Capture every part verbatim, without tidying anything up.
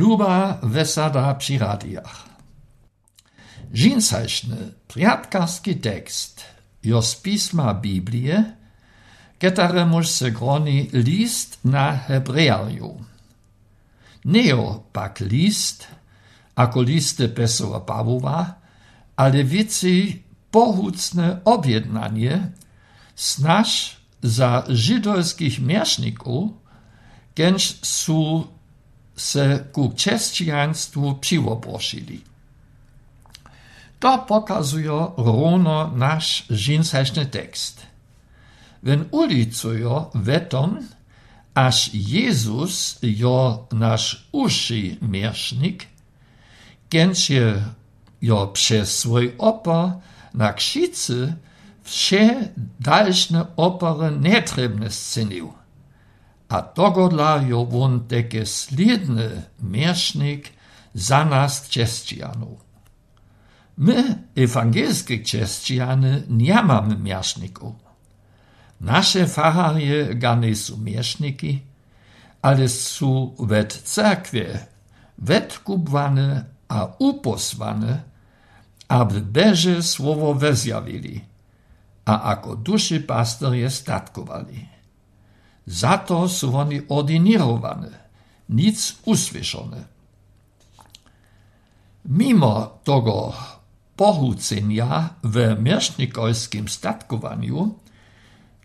Luba wesada przy radiach. Žincajšny priatkarski tekst jo z pisma Biblie, ketaremuž se groni list na Hebrejarju. Neo pak list, ako liste Pesova Pavlova, ale vici pohucne objednanie, snaž za židovskich mieszników, kenž su se ku křesťanstvu přivoprošili. To pokazuje rovno naš žincajšny tekst. Wen ulicujo vetom, až Jezus jo naš uši miesznik, kenž je jo przez swój opor na krzycy wsze dalszne opory netrebne scenił. A dogodla jo won teke slidny miesznik za nas křesťanów. My, ewangelskie křesťany, nie mamy mieszników. Nasze faharje gane su mieszniki, ale su wet cerkwie wetkubwane a uposłane, aby Boże słowo wezjawili, a ako duszy pasterje statkowali. Za to su oni ordinirowane, nic usłyszone. Mimo tego pohucenia w miesznikowskim statkowaniu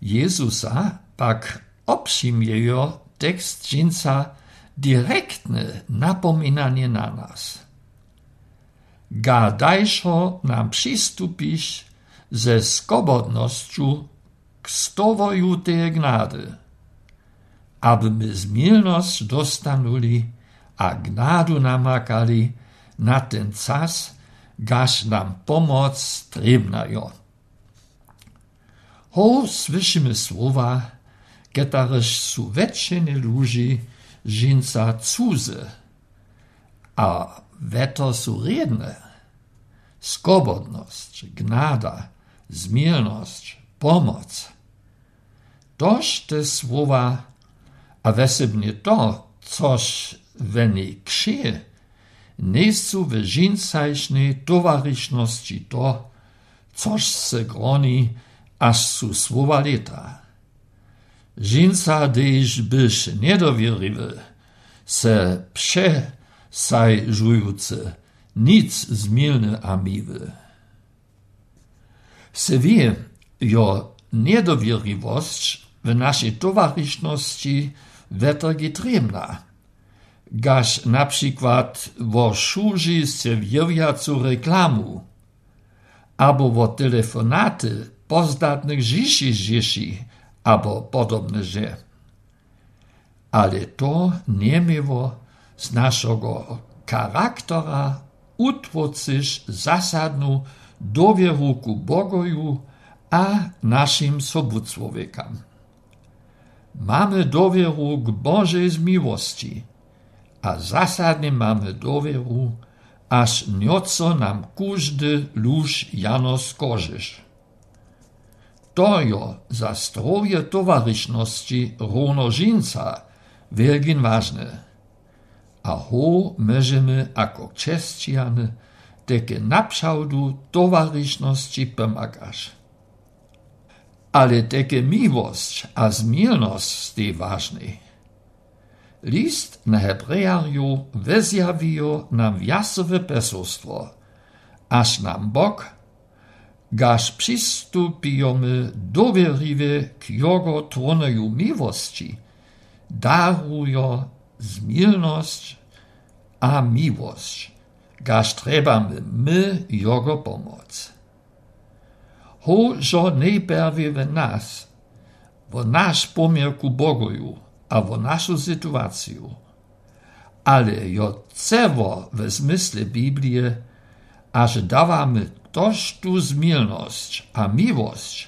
Jezusa pak obšimjejo tekst džinca direktne napominanie na nas. Ga dajšo nam přistupiš ze skobodnošću k stovoju te gnady, aby my zmilnosť dostanuli a gnadu namakali na ten czas, gaž nam pomoc trebna jo. Ho słyszymy słowa, ketareż su wetšene ludzi žinca cuze, a weto su redne. Skobodność, gnada, zmielność, pomoc. Toż te słowa, a wesebnie to, což weni kšeje, nie su w žincajšnej towaryszności to, což se groni, aż su słowa leta. Žinca, dež byš nedowierliwy, se pše sajżujuce, nic zmielny a miły. Se wie, jo nedowierliwość w naszej towaryszności wetergi tremna, gaž na przykład wo šuži serwirjacu reklamu, abo wo telefonaty pozdatnych žiši žiši, abo podobne že. Ale to nie miewo z naszego charaktora utwocyš zasadnu dowieru ku Bogoju a naszym sobucłowiekam. Mamy dowieru k Bożej zmiłości, a zasadnie mamy dowieru, aż nioco nam każdy lóż jano skożysz. To jo za zdrowie towaryszności równo žinca wielgin ważne. A ho możemy jako křesťany teke napšałdu towaryszności pomagasz. Ale teke miłość a zmielność stej ważnej. List na Hebrejarju wezjawijo nam jasowe pesostwo, aż nam Bog, gaž přistupijemy dowierliwie k Jego tronoju miłości, darujo zmielność a miłość, gaž trebamy my Jego pomoc. Hožo nejperwie w nas, wo nasz pomiar ku Bogoju, a wo naszą sytuację, ale jo cewo w zmysle Biblie, aż dawamy toż tu zmielność a miłość,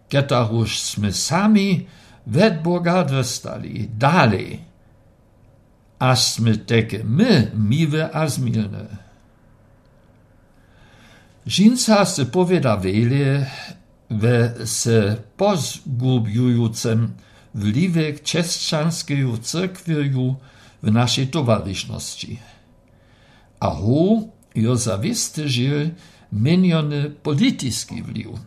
ketaruż smy sami wed Boga dostali dalej, aż smy teke my miłe a zmielne. Žinca se powiada wiele we se pozgubiujucem wliwek křesťanskeju cyrkwiju w naszej towarzyszności. A hu jo zawisty żył miniony polityczny wliw.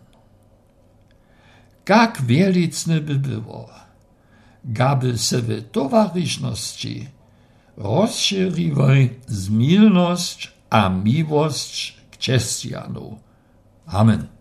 Jak wielicne by było, gaby se w towarzyszności rozszerzyły zmilność a miłość k chrześcijanów. Amen.